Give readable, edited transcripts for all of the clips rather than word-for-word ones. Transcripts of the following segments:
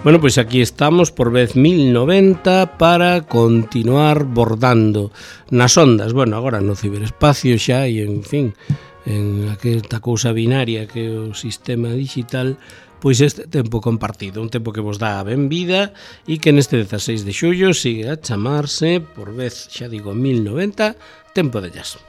Bueno, pois aquí estamos por vez 1090 para continuar bordando nas ondas. Bueno, agora no ciberespacio xa e, en fin, en aquesta cousa binaria que é o sistema digital, pois este tempo compartido, un tempo que vos dá a benvida e que neste 16 de xullo sigue a chamarse, por vez, xa digo, 1090, Tempo de Jazz.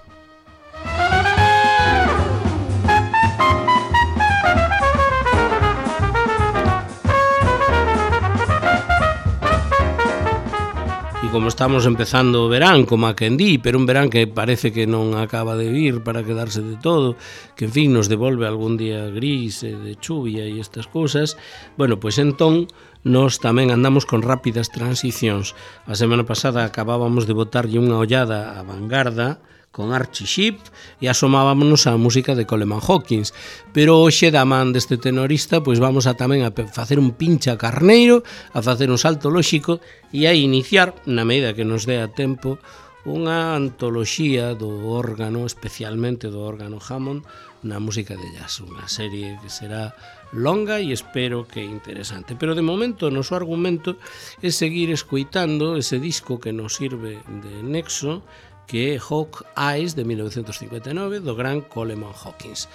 Como estamos empezando o verán, como a quen di, pero un verán que parece que non acaba de vir para quedarse de todo, que en fin nos devolve algún día gris e de chuvia e estas cousas, bueno, pois entón nós tamén andamos con rápidas transicións. A semana pasada acabábamos de botarlle unha ollada á Vanguarda con Archie Shepp e asomábamos á música de Coleman Hawkins, pero hoxe da man deste tenorista pois vamos a tamén a facer un pincha carneiro, a facer un salto lóxico e a iniciar, na medida que nos dé a tempo, unha antoloxía do órgano, especialmente do órgano Hammond, na música de jazz, unha serie que será longa e espero que interesante. Pero de momento o noso argumento é seguir escoitando ese disco que nos sirve de nexo, que é Hawk Eyes, de 1959, do gran Coleman Hawkins.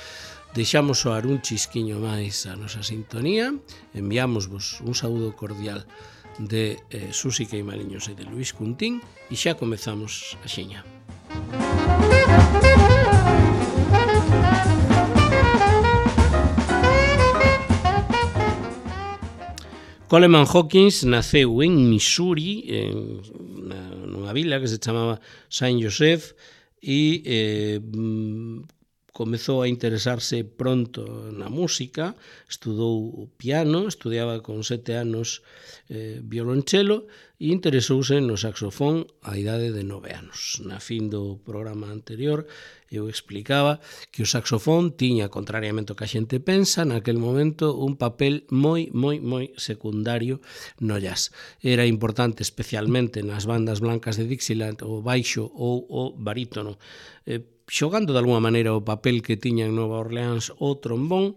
Deixamos soar un chisquiño máis a nosa sintonía, enviámosvos un saúdo cordial de Susi Queimaliños e de Luis Cuntín e xa comezamos a xiña. Coleman Hawkins naceu en Missouri, nunha vila que se chamaba Saint Joseph, e comezou a interesarse pronto na música, estudou o piano, estudiaba con 7 anos violonchelo e interesouse no saxofón a idade de 9 anos. Na fin do programa anterior eu explicaba que o saxofón tiña, contrariamente ao que a xente pensa, naquel momento un papel moi secundario no jazz. Era importante especialmente nas bandas blancas de Dixieland o baixo ou o barítono, xogando de alguma maneira o papel que tiña en Nova Orleans o trombón,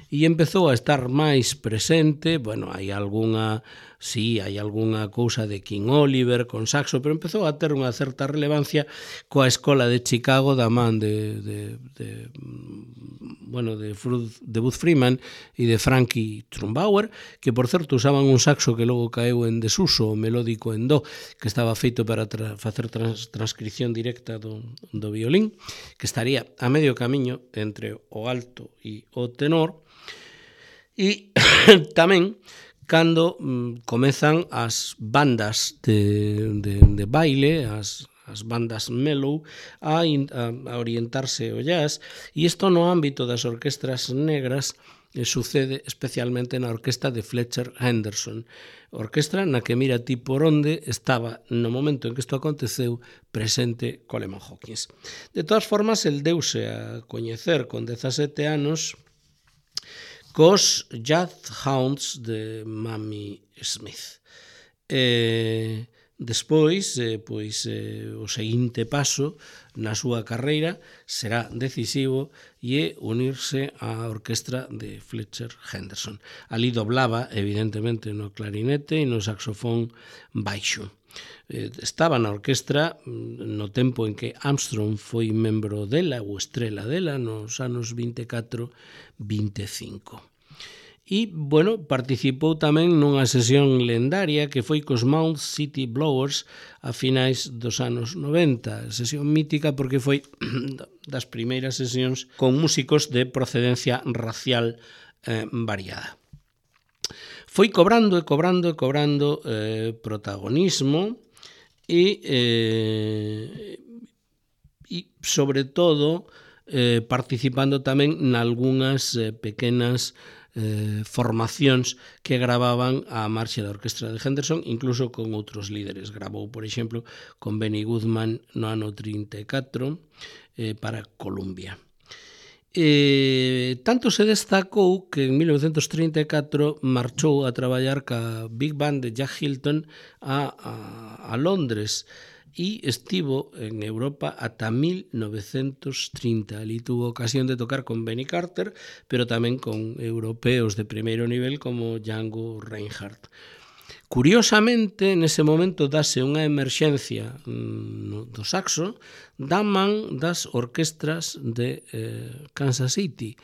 e empezou a estar máis presente, bueno, hai algunha cousa de King Oliver con saxo, pero empezou a ter unha certa relevancia coa escola de Chicago da man de Bud Freeman e de Frankie Trumbauer, que por certo usaban un saxo que logo caeu en desuso, o melódico en do, que estaba feito para facer transcripción directa do violín, que estaría a medio camiño entre o alto e o tenor. E tamén cando comezan as bandas de baile, as bandas mellow, a orientarse ao jazz, e isto no ámbito das orquestras negras sucede especialmente na orquesta de Fletcher Henderson, orquestra na que mira ti por onde estaba no momento en que isto aconteceu presente Coleman Hawkins. De todas formas, el deuse a coñecer con 17 anos cos Jazz Hounds de Mamie Smith. Despois, o seguinte paso na súa carreira será decisivo e é unirse á orquestra de Fletcher Henderson. Ali doblaba, evidentemente, no clarinete e no saxofón baixo. Estaba na orquestra no tempo en que Armstrong foi membro dela ou estrela dela nos anos 24-25. E, bueno, participou tamén nunha sesión lendaria que foi cos Mount City Blowers a finais dos anos 90, sesión mítica porque foi das primeiras sesións con músicos de procedencia racial variada. Foi cobrando protagonismo e sobre todo participando tamén nalgúnas pequenas formacións que gravaban a marcha da orquestra de Henderson, incluso con outros líderes. Gravou, por exemplo, con Benny Goodman no ano 34 para Columbia. Tanto se destacou que en 1934 marchou a traballar ca Big Band de Jack Hilton a Londres e estivo en Europa ata 1930. Ali tuvo ocasión de tocar con Benny Carter, pero tamén con europeos de primeiro nivel como Django Reinhardt. Curiosamente, nese momento dase unha emerxencia do saxo da man das orquestras de Kansas City.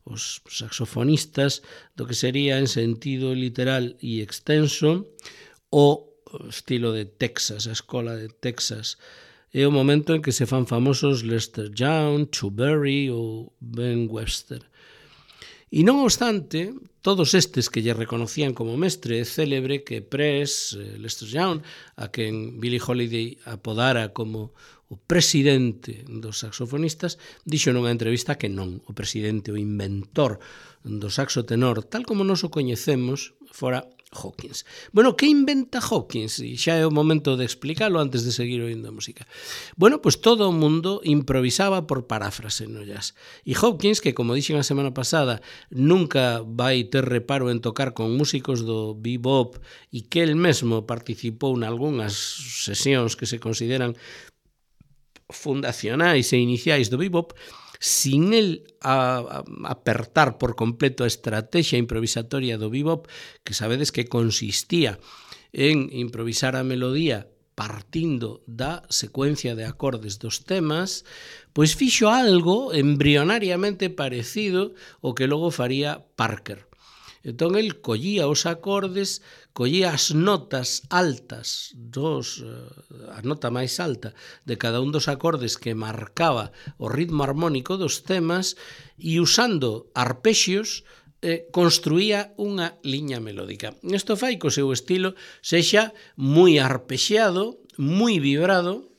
Os saxofonistas do que sería en sentido literal e extenso o estilo de Texas, a escola de Texas. É o momento en que se fan famosos Lester Young, Chu Berry ou Ben Webster. E non obstante, todos estes que lle reconocían como mestre, é célebre que Press, Lester Young, a quen Billie Holiday apodara como o presidente dos saxofonistas, dixo nunha entrevista que non, o presidente, o inventor do saxo tenor, tal como nos o coñecemos, fora Hawkins. Bueno, que inventa Hawkins? E xa é o momento de explicalo antes de seguir oindo a música. Bueno, pois todo o mundo improvisaba por paráfrase no jazz. E Hawkins, que como dixen a semana pasada, nunca vai ter reparo en tocar con músicos do bebop e que el mesmo participou nalgúnas sesións que se consideran fundacionais e iniciais do bebop, sin el apertar por completo a estrategia improvisatoria do bebop, que sabedes que consistía en improvisar a melodía partindo da secuencia de acordes dos temas, pois fixo algo embrionariamente parecido ao que logo faría Parker. Entón, el collía os acordes, collía as notas altas, a nota máis alta de cada un dos acordes que marcaba o ritmo armónico dos temas e usando arpexios construía unha liña melódica. Isto fai que o seu estilo sexa moi arpexeado, moi vibrado,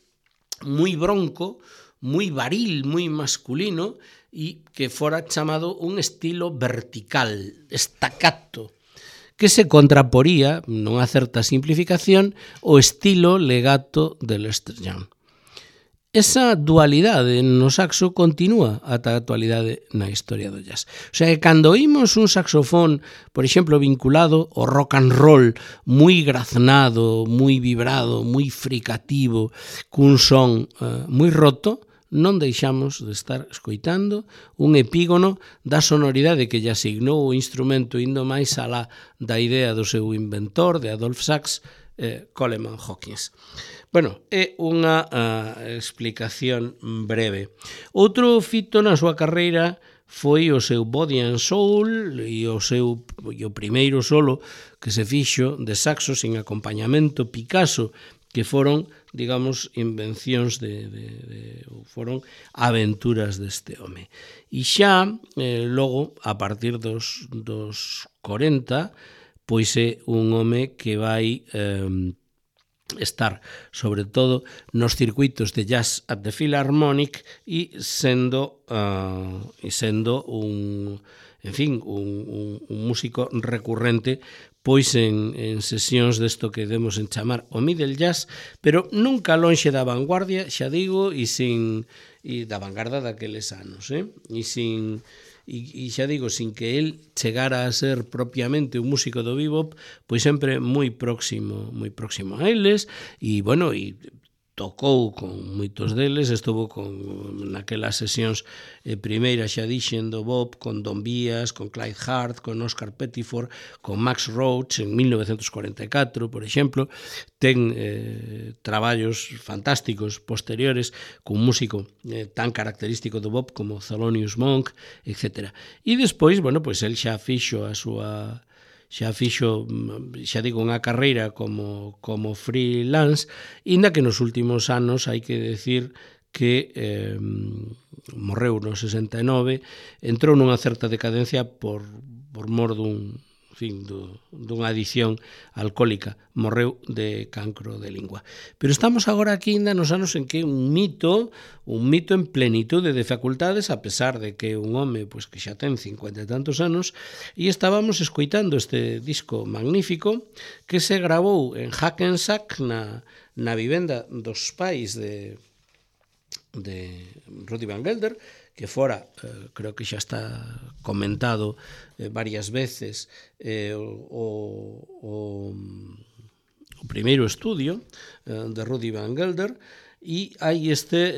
moi bronco, moi varil, moi masculino, e que fora chamado un estilo vertical, staccato, que se contraporía, nunha certa simplificación, ao estilo legato de Lester Young. Esa dualidade no saxo continúa ata a actualidade na historia do jazz. O sea, que cando oímos un saxofón, por exemplo, vinculado ao rock and roll, moi graznado, moi vibrado, moi fricativo, cun son moi roto, non deixamos de estar escoitando un epígono da sonoridade que lle asignou o instrumento indo máis alá da idea do seu inventor, de Adolph Sax, Coleman Hawkins. Bueno, é unha explicación breve. Outro fito na súa carreira foi o seu Body and Soul e o primeiro solo que se fixo de saxo sin acompañamento Picasso, que foron, digamos, invencións foron aventuras deste home. E xa, logo, a partir dos 40, pois é un home que vai estar, sobre todo, nos circuitos de Jazz at the Philharmonic e sendo un músico recurrente pois en sesións desto que demos en chamar o middle jazz, pero nunca lonxe da vanguardia, xa digo, e da vanguarda daqueles anos, e xa digo, sin que el chegara a ser propiamente un músico do bebop, pois sempre moi próximo a eles, e bueno, e tocou con moitos deles, estuvo naquelas sesións primeiras, xa dixen, do bop, con Don Byas, con Clyde Hart, con Oscar Pettiford, con Max Roach en 1944, por exemplo. Ten traballos fantásticos posteriores cun músico tan característico do bop como Thelonious Monk, etc. E despois, bueno, pois el xa fixo unha carreira como freelance, inda que nos últimos anos hai que decir que morreu no 69, entrou nunha certa decadencia por mor dunha adicción alcohólica, morreu de cancro de lingua. Pero estamos agora aquí ainda nos anos en que un mito en plenitude de facultades, a pesar de que un home pois que xa ten 50 e tantos anos, e estábamos escoitando este disco magnífico que se gravou en Hackensack na vivenda dos pais de Rudy Van Gelder, que fora, creo que xa está comentado varias veces, o o primeiro estudio de Rudy Van Gelder, e hai este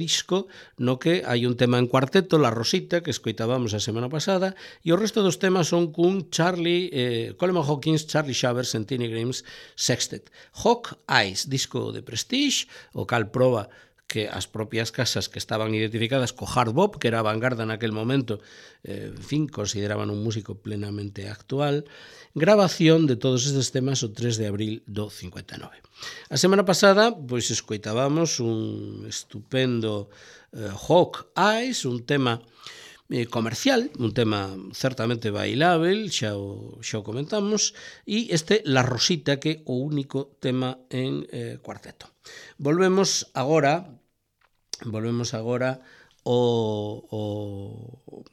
disco no que hai un tema en cuarteto, La Rosita, que escoitábamos a semana pasada, e o resto dos temas son cun Coleman Hawkins, Charlie Shavers e Tiny Grims Sextet. Hawk Eyes, disco de Prestige, o cal proba que as propias casas que estaban identificadas co hard bop, que era a vanguarda naquel momento, en fin, consideraban un músico plenamente actual. Grabación de todos estes temas o 3 de abril do 59. A semana pasada, pois, escoitábamos un estupendo Hawk Eyes, un tema comercial, un tema certamente bailável, xa o comentamos, e este La Rosita, que é o único tema en cuarteto. Volvemos agora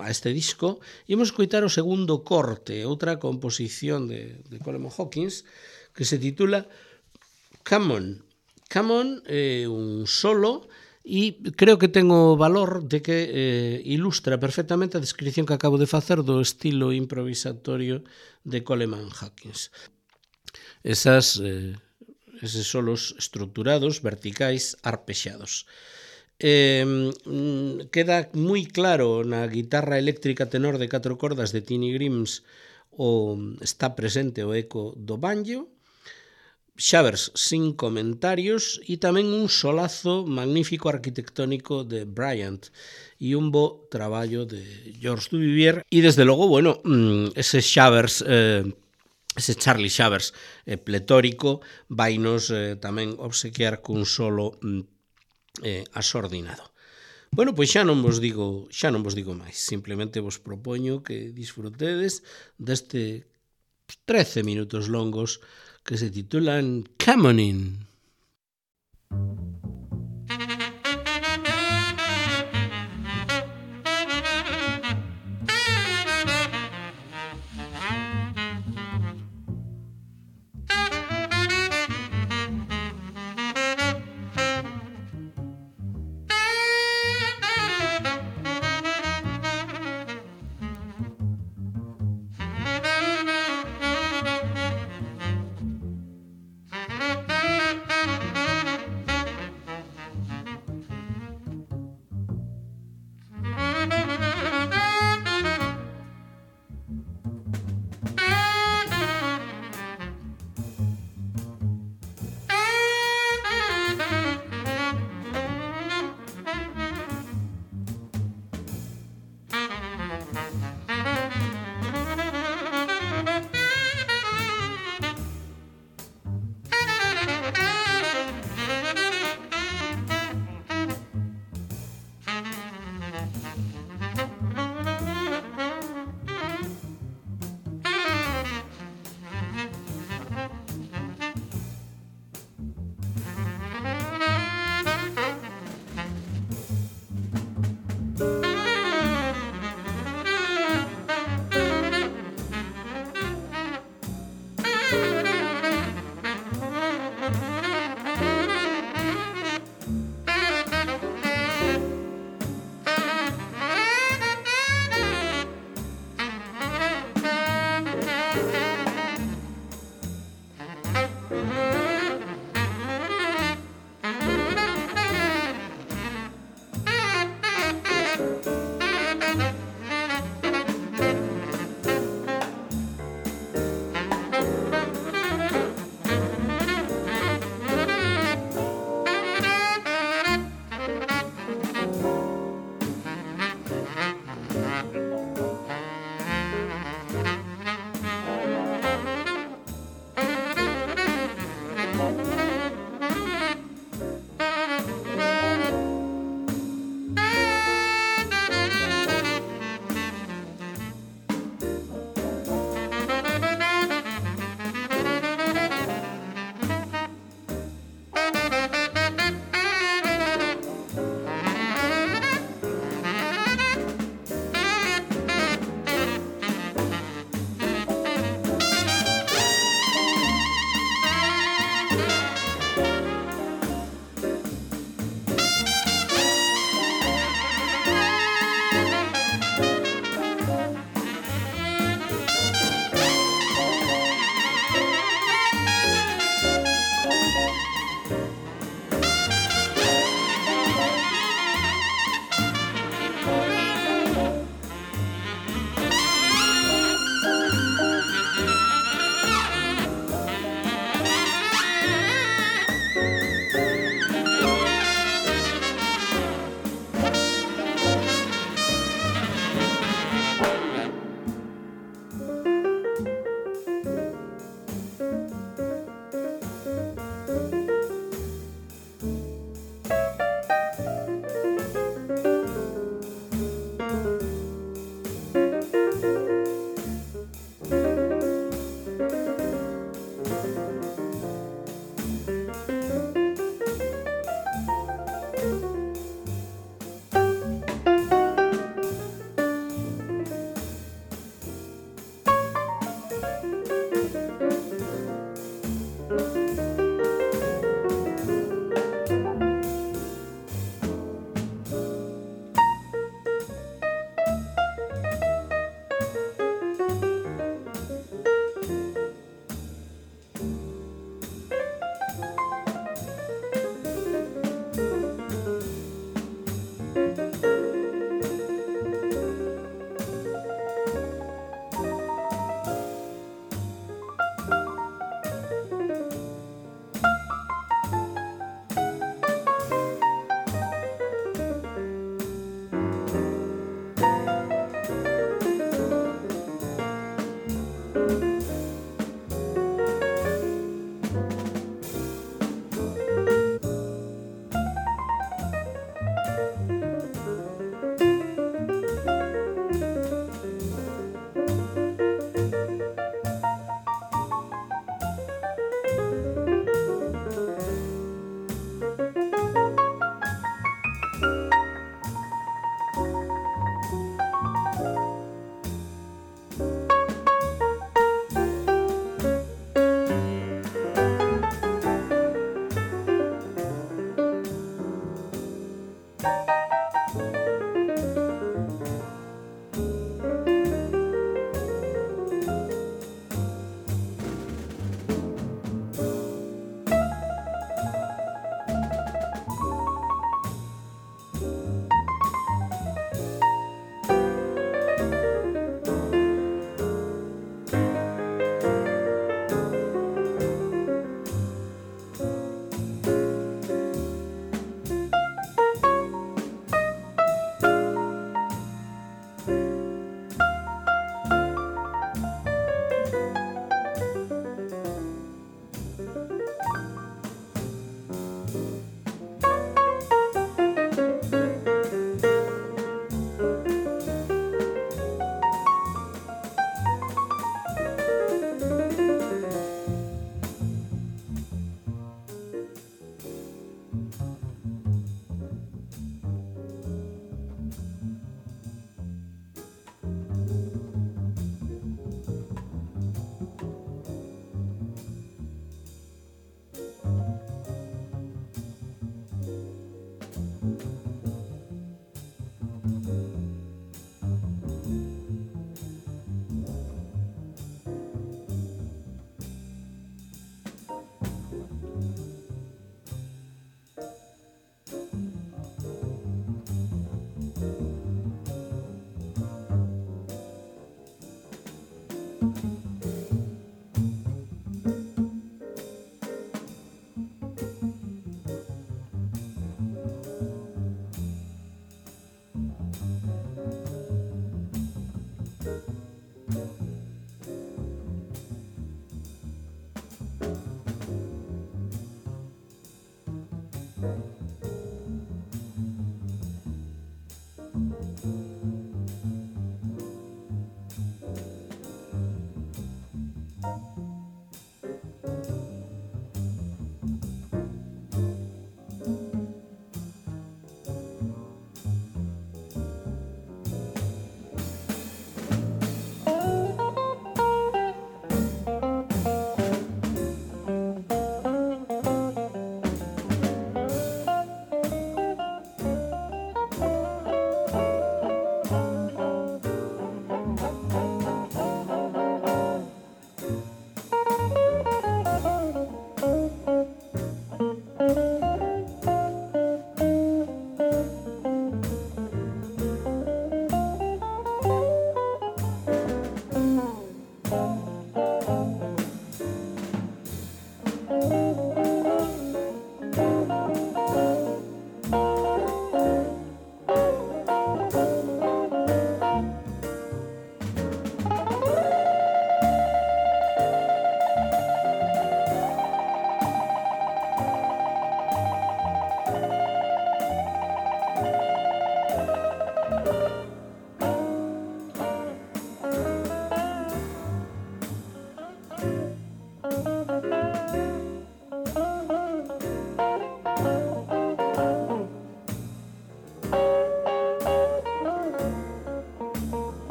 a este disco e imos escoitar o segundo corte, outra composición de Coleman Hawkins, que se titula Come On. Come On é un solo e creo que ten o valor de que ilustra perfectamente a descripción que acabo de facer do estilo improvisatorio de Coleman Hawkins. Eses solos estructurados, verticais, arpexados. Queda moi claro na guitarra eléctrica tenor de 4 cordas de Tiny Grims está presente o eco do banjo, Shavers sin comentarios e tamén un solazo magnífico arquitectónico de Bryant e un bo traballo de George Duvivier e desde logo, bueno, ese Shavers ese Charlie Shavers pletórico vainos tamén obsequiar cun solo asordinado. Bueno, pois xa non vos digo máis, simplemente vos propoño que disfrutedes deste 13 minutos longos que se titulan Come On In.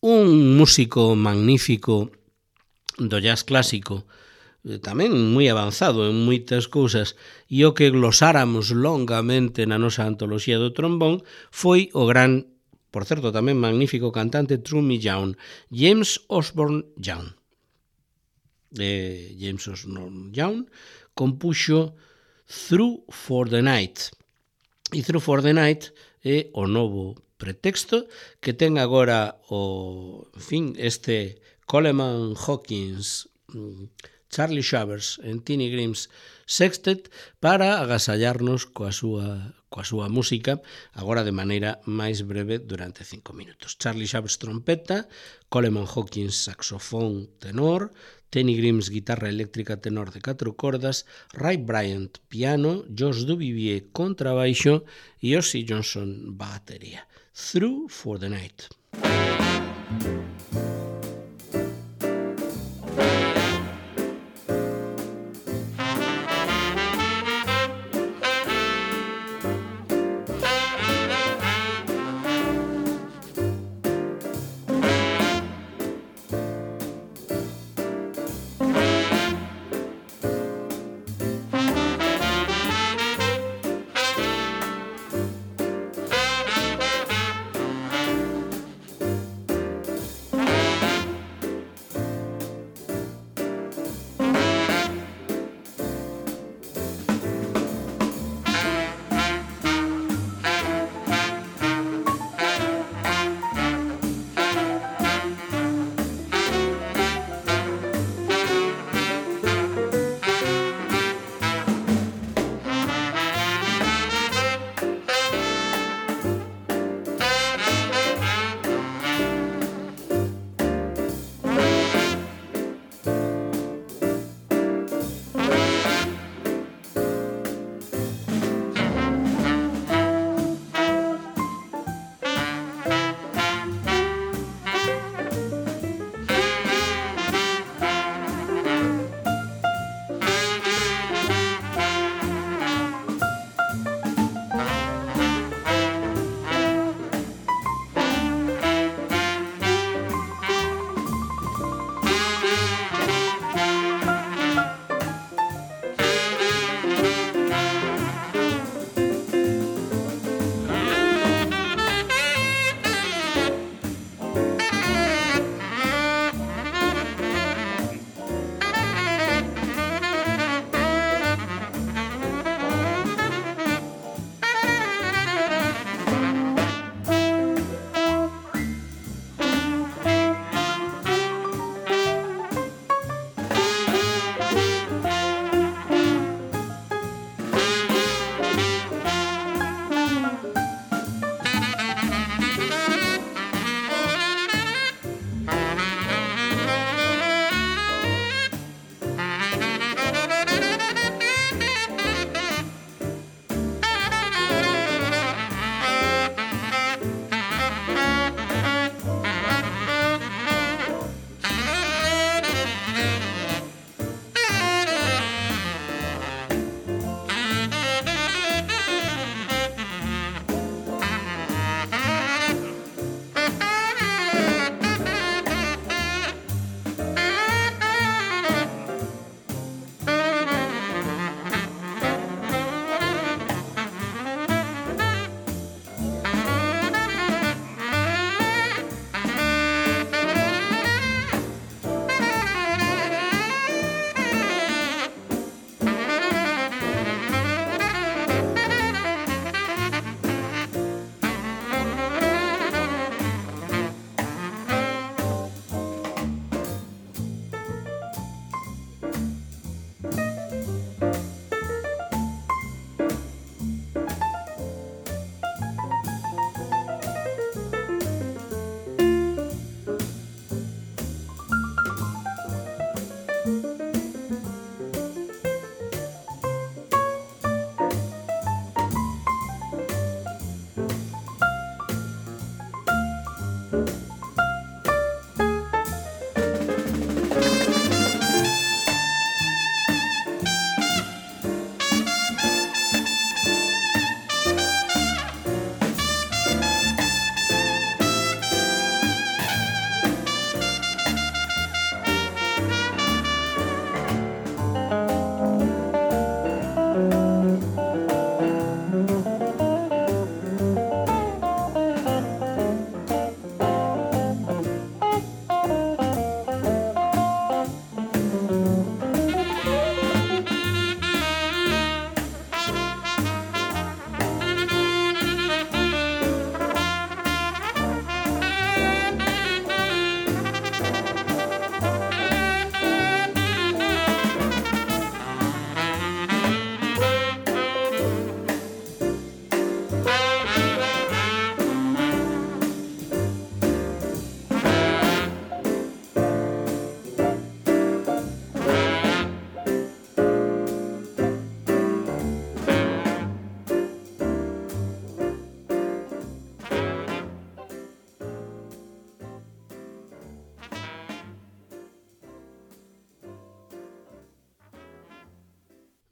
un músico magnífico do jazz clásico, tamén moi avanzado en moitas cousas, e o que glosáramos longamente na nosa antoloxía do trombón foi o gran, por certo, tamén magnífico cantante Trummy Young, James Osborne Young. James Osborne Young compuxo Through for the Night. E Through for the Night é o novo pretexto que ten agora este Coleman Hawkins, Charlie Shavers en Tiny Grimm's Sextet para agasallarnos coa súa música, agora de maneira máis breve durante 5 minutos. Charlie Shavers trompeta, Coleman Hawkins saxofón tenor, Tiny Grimm's guitarra eléctrica tenor de 4 cordas, Ray Bryant piano, Josh Duvivier contrabaixo e Ozzy Johnson batería. Through for the Night.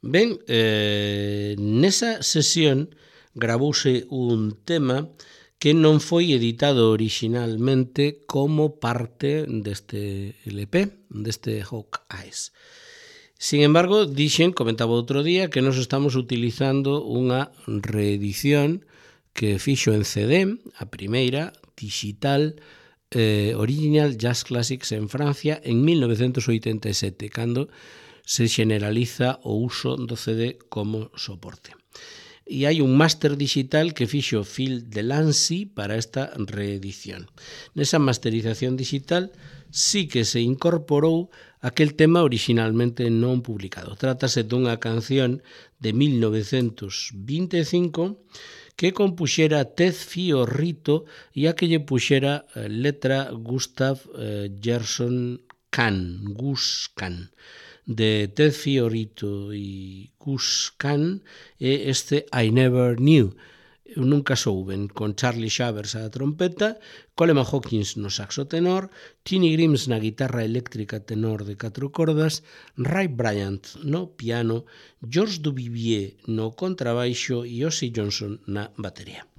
Ben, nesa sesión gravouse un tema que non foi editado originalmente como parte deste LP, deste Hawk Eyes. Sin embargo, comentaba outro día, que nos estamos utilizando unha reedición que fixo en CD, a primeira, digital, Original Jazz Classics en Francia en 1987, cando se generaliza o uso do CD como soporte. E hai un máster digital que fixo Phil Delancey para esta reedición. Nesa masterización digital sí que se incorporou aquel tema originalmente non publicado. Trátase dunha canción de 1925 que compuxera Ted Fiorito e a que lle puxera letra Gustav Gerson Kahn, Gus Kahn. De Ted Fiorito e Gus Kahn e este I Never Knew. Eu nunca souben, con Charlie Shavers á trompeta, Coleman Hawkins no saxo tenor, Tiny Grimes na guitarra eléctrica tenor de 4 cordas, Ray Bryant no piano, George Duvivier no contrabaixo e Ozzy Johnson na batería.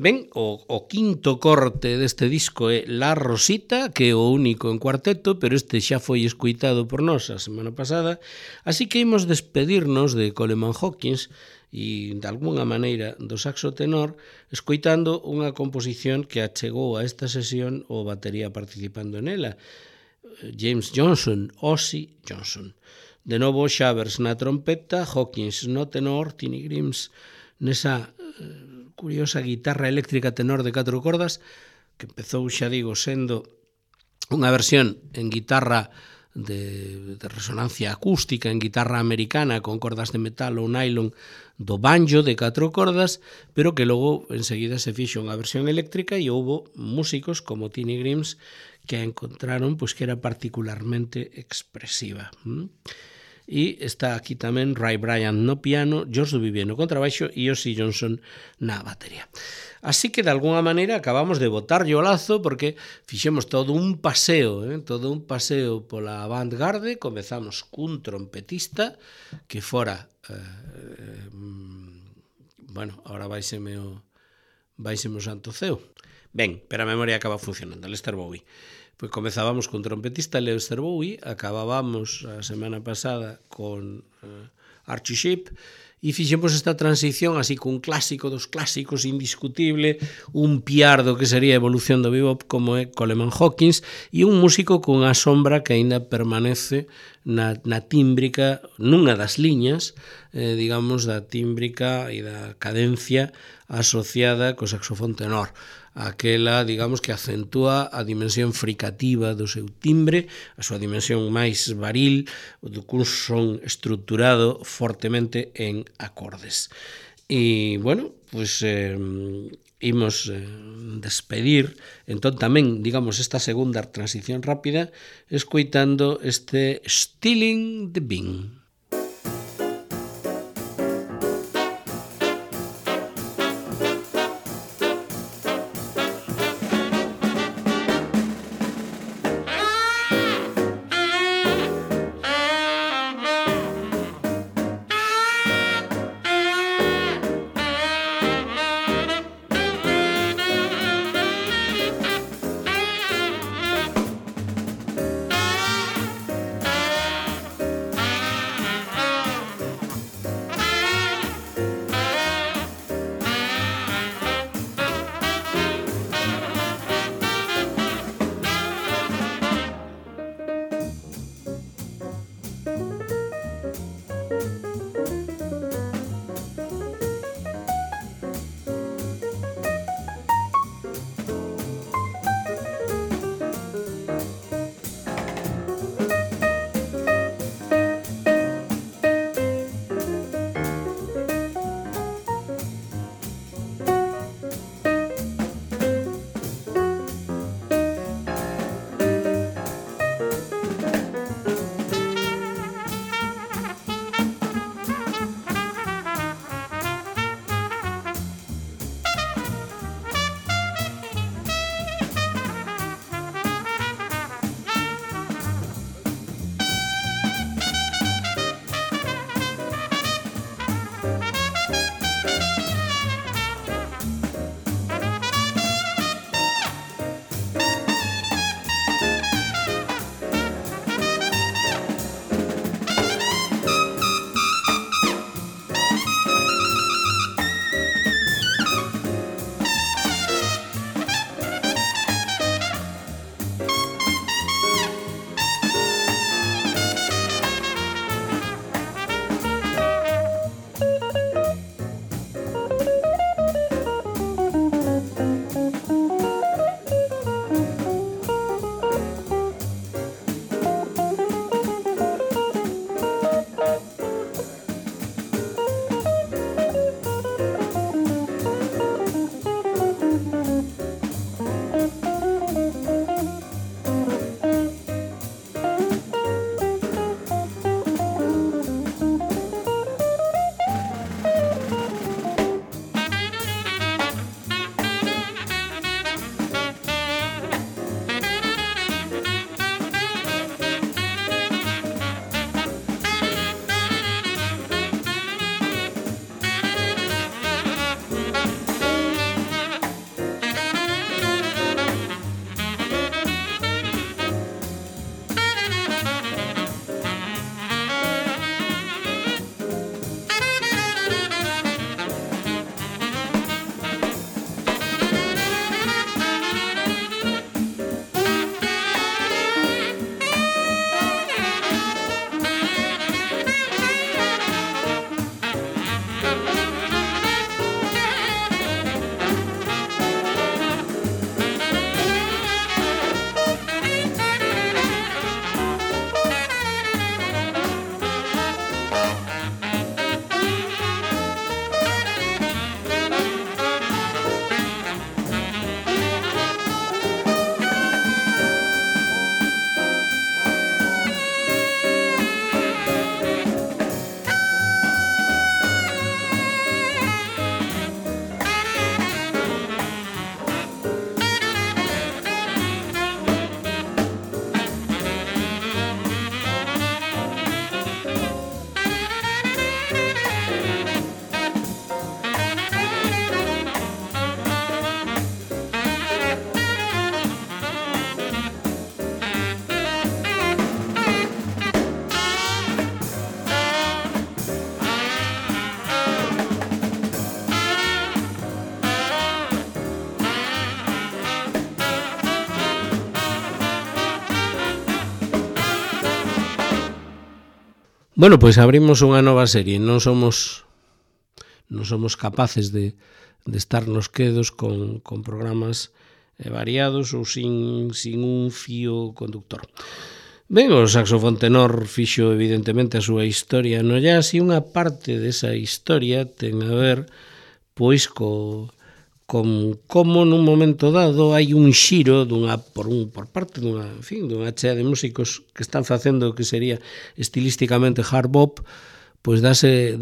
Ben, o quinto corte deste disco é La Rosita, que é o único en cuarteto, pero este xa foi escuitado por nós a semana pasada, así que imos despedirnos de Coleman Hawkins e, de alguna maneira, do saxo tenor, escoitando unha composición que achegou a esta sesión o batería participando nela, James Johnson, Ozzy Johnson. De novo, Shavers na trompeta, Hawkins no tenor, Tiny Grimes nesa curiosa guitarra eléctrica tenor de 4 cordas, que empezou, xa digo, sendo unha versión en guitarra de resonancia acústica, en guitarra americana con cordas de metal ou nylon do banjo de 4 cordas, pero que logo enseguida se fixo unha versión eléctrica e houbo músicos como Tiny Grimes que a encontraron pois que era particularmente expresiva. E está aquí tamén Ray Bryant no piano, George Duvivier no contrabaixo e Ozzy Johnson na batería. Así que, de alguna maneira, acabamos de botarlle o lazo porque fixemos todo un paseo pola avant-garde. Comezamos cun trompetista que fora... agora váiseme o santo ceo. Ben, pero a memoria acaba funcionando, Lester Bowie. Pois comezábamos con trompetista Lester Bowie, acabábamos a semana pasada con Archie Shepp e fixemos esta transición así cun clásico dos clásicos indiscutible, un piardo que sería a evolución do bebop como é Coleman Hawkins e un músico cunha sombra que aínda permanece na tímbrica, nunha das liñas, digamos, da tímbrica e da cadencia asociada co saxofón tenor. Aquela, digamos, que acentúa a dimensión fricativa do seu timbre, a súa dimensión máis varil, cun son estruturado fortemente en acordes. E, bueno, pois imos despedir, entón tamén, digamos, esta segunda transición rápida, escoitando este Stealing the Bean. Bueno, pois abrimos unha nova serie. Non somos capaces de estarnos quedos con programas variados ou sin un fío conductor. Ben, o saxofón tenor fixo evidentemente a súa historia no jazz e unha parte desa historia ten a ver pois con como nun momento dado hai un xiro por parte dunha chea de músicos que están facendo o que sería estilísticamente hard bop, pois dase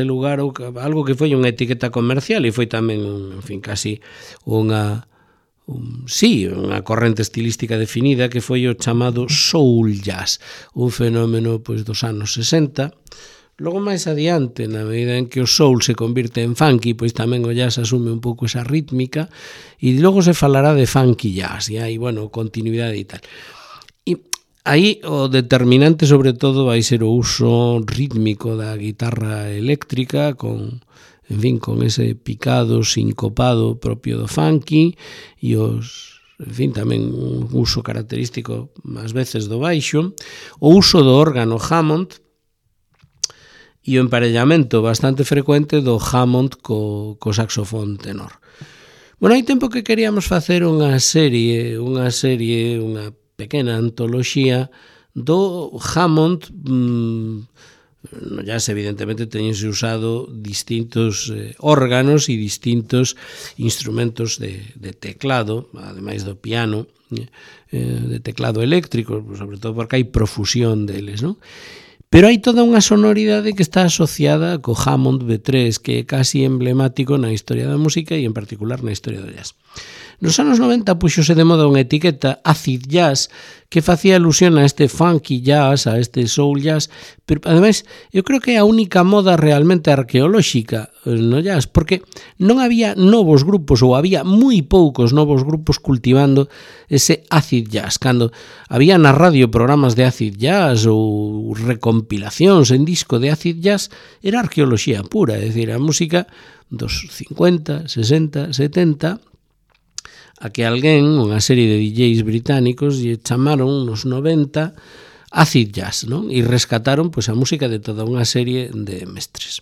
lugar a algo que foi unha etiqueta comercial e foi tamén casi unha corrente estilística definida que foi o chamado soul jazz, un fenómeno pois dos anos 60. Logo máis adiante, na medida en que o soul se convirte en funky, pois tamén o jazz asume un pouco esa rítmica e logo se falará de funky jazz e hai, continuidade e tal. E aí o determinante sobre todo vai ser o uso rítmico da guitarra eléctrica con ese picado sincopado propio do funky e tamén un uso característico ás veces do baixo, o uso do órgano Hammond e o emparellamento bastante frecuente do Hammond co saxofón tenor. Bueno, hai tempo que queríamos facer unha pequena antoloxía do Hammond. No jazz evidentemente teñense usado distintos órganos e distintos instrumentos de teclado, ademais do piano, de teclado eléctrico, sobre todo porque hai profusión deles, non? Pero hai toda unha sonoridade que está asociada co Hammond B3, que é casi emblemático na historia da música e en particular na historia do jazz. Nos anos 90 puxose de moda unha etiqueta acid jazz que facía alusión a este funky jazz, a este soul jazz, pero ademais eu creo que é a única moda realmente arqueolóxica no jazz, porque non había novos grupos ou había moi poucos novos grupos cultivando ese acid jazz. Cando había na radio programas de acid jazz ou recompilacións en disco de acid jazz, era arqueoloxía pura, é dicir, a música dos 50, 60, 70, a que alguén, unha serie de DJs británicos, lle chamaron nos 90 acid jazz, non? E rescataron pois a música de toda unha serie de mestres.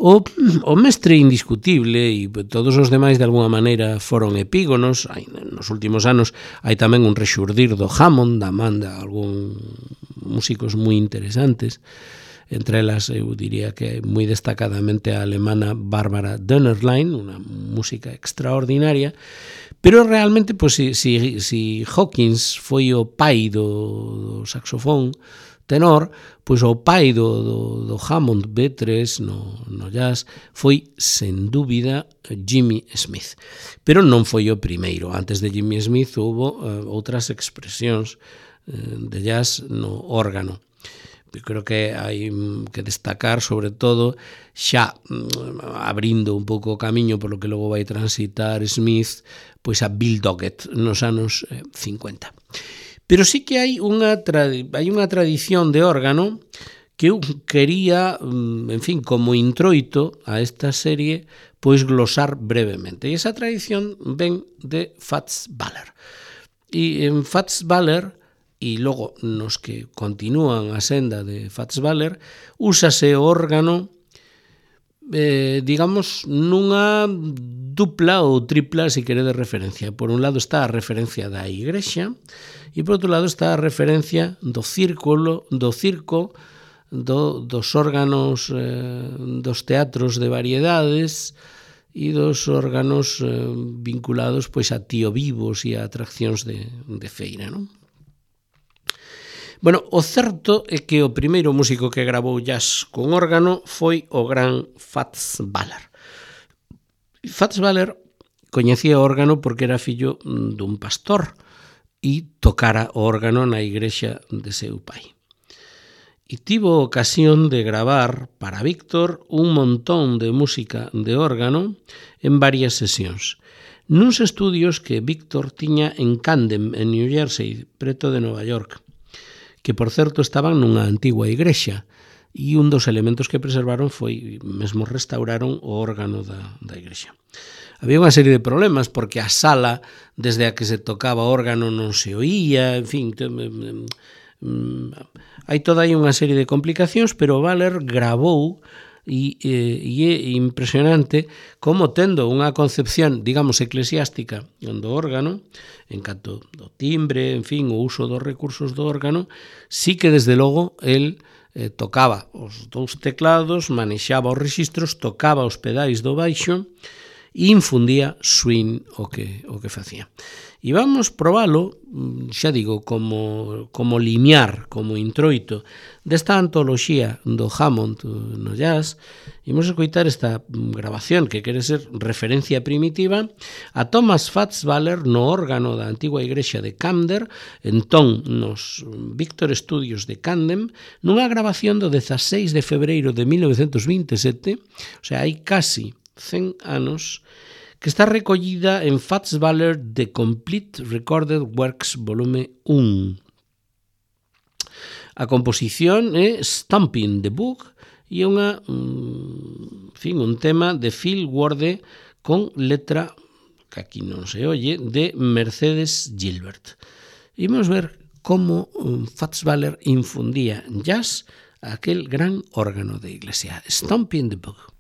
O mestre indiscutible e todos os demais de alguma maneira foron epígonos. Nos últimos anos hai tamén un rexurdir do Hammond, da man de algún músicos moi interesantes. Entre elas, eu diría que moi destacadamente a alemana Barbara Dönerlein, unha música extraordinaria, pero realmente, pois, si Hawkins foi o pai do saxofón tenor, pois o pai do Hammond B3 no jazz foi, sen dúbida, Jimmy Smith. Pero non foi o primeiro. Antes de Jimmy Smith houve outras expresións de jazz no órgano. Eu creo que hai que destacar, sobre todo, xa abrindo un pouco o camiño polo que logo vai transitar Smith, pois a Bill Doggett nos anos 50. Pero sí que hai unha tradición de órgano que eu quería, como introito a esta serie, pois glosar brevemente. E esa tradición ven de Fats Waller. E en Fats Waller, e logo nos que continúan a senda de Fats Waller, úsase o órgano digamos nunha dupla ou tripla, se quere, de referencia. Por un lado está a referencia da igrexa e por outro lado está a referencia do circo, dos órganos dos teatros de variedades e dos órganos vinculados pois a tío vivos e a atraccións de feira, non? Bueno, o certo é que o primeiro músico que gravou jazz con órgano foi o gran Fats Waller. Fats Waller coñecía o órgano porque era fillo dun pastor e tocara o órgano na igrexa de seu pai. E tivo ocasión de gravar para Víctor un montón de música de órgano en varias sesións, nuns estudios que Víctor tiña en Camden, en New Jersey, preto de Nova York, que, por certo, estaban nunha antigua igrexa, e un dos elementos que preservaron foi, mesmo restauraron o órgano da igrexa. Había unha serie de problemas, porque a sala, desde a que se tocaba o órgano, non se oía, hai toda aí unha serie de complicacións, pero Mahler gravou e é impresionante como tendo unha concepción, digamos, eclesiástica do órgano, en canto do timbre, en fin, o uso dos recursos do órgano, sí que desde logo el tocaba os dous teclados, manexaba os rexistros, tocaba os pedais do baixo e infundía swing o que facía. E vamos probalo, xa digo, como limiar, como introito desta antoloxía do Hammond no jazz. Imos escoitar esta grabación que quere ser referencia primitiva a Thomas Fats Waller no órgano da antigua igrexa de Camden, entón nos Victor Studios de Camden, nunha grabación do 16 de febreiro de 1927, o sea, hai casi 100 anos, que está recollida en Fats Waller The Complete Recorded Works volume 1. A composición é Stomping the Book e é un tema de Phil Ward con letra, que aquí non se oye, de Mercedes Gilbert. Imos ver como Fats Waller infundía jazz a aquel gran órgano de iglesia. Stomping the Book.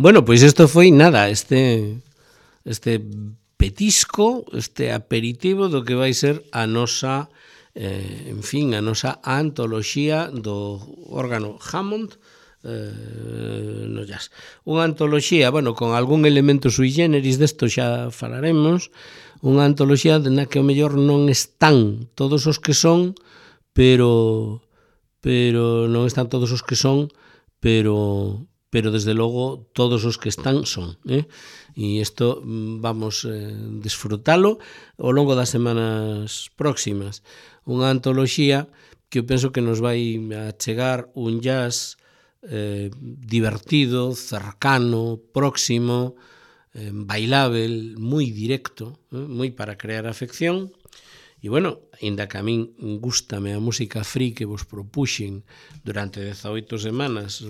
Bueno, pois isto foi nada, este petisco, este aperitivo do que vai ser a nosa a nosa antoloxía do órgano Hammond no jazz. Unha antoloxía, con algún elemento sui generis, desto xa falaremos, unha antoloxía na que ao mellor non están todos os que son, pero non están todos os que son, pero desde logo todos os que están son, e isto vamos desfrutalo ao longo das semanas próximas. Unha antoloxía que eu penso que nos vai a chegar un jazz divertido, cercano, próximo, bailável, moi directo, moi para crear afección. E ainda que a min gústame a música free que vos propuxen durante 18 semanas,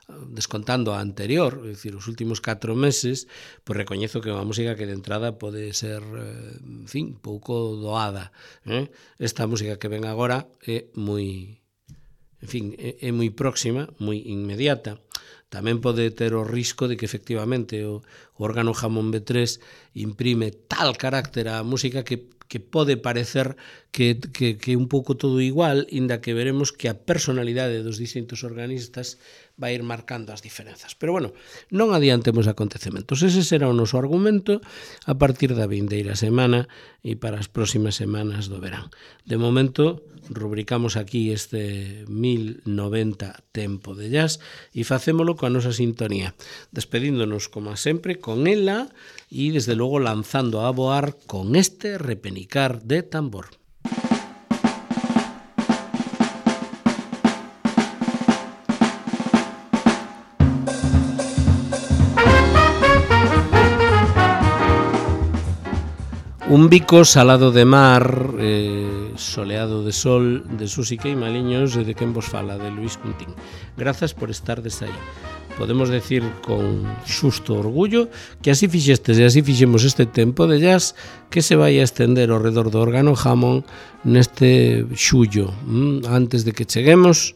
descontando a anterior, é dicir, os últimos 4 meses, pois recoñezo que é unha música que de entrada pode ser, pouco doada. Esta música que ven agora é moi, é moi próxima, moi inmediata. Tamén pode ter o risco de que efectivamente o órgano Hammond B3 imprime tal carácter á música que pode parecer que un pouco todo igual, inda que veremos que a personalidade dos distintos organistas vai ir marcando as diferenzas. Pero non adiantemos acontecementos. Ese será o noso argumento a partir da vindeira semana e para as próximas semanas do verán. De momento, rubricamos aquí este 1090 Tempo de Jazz e facémolo coa nosa sintonía, despedíndonos, como sempre, con ela e, desde logo, lanzando a voar con este repenicar de tambor. Un bico salado de mar, soleado de sol, de Susi Queimaliños e de quen vos fala, de Luís Cuntín. Grazas por estardes aí. Podemos decir con xusto orgullo que así fixestes e así fixemos este tempo de jazz que se vai a estender ao redor do órgano Hammond neste xullo, antes de que cheguemos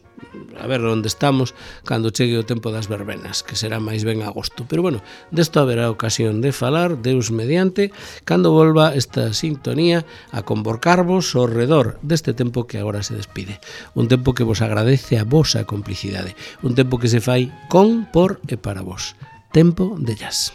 a ver onde estamos cando chegue o tempo das verbenas, que será máis ben agosto. Pero desto haberá ocasión de falar, Deus mediante, cando volva esta sintonía a convocarvos ao redor deste tempo que agora se despide. Un tempo que vos agradece a vosa complicidade, un tempo que se fai con, por e para vos. Tempo de jazz.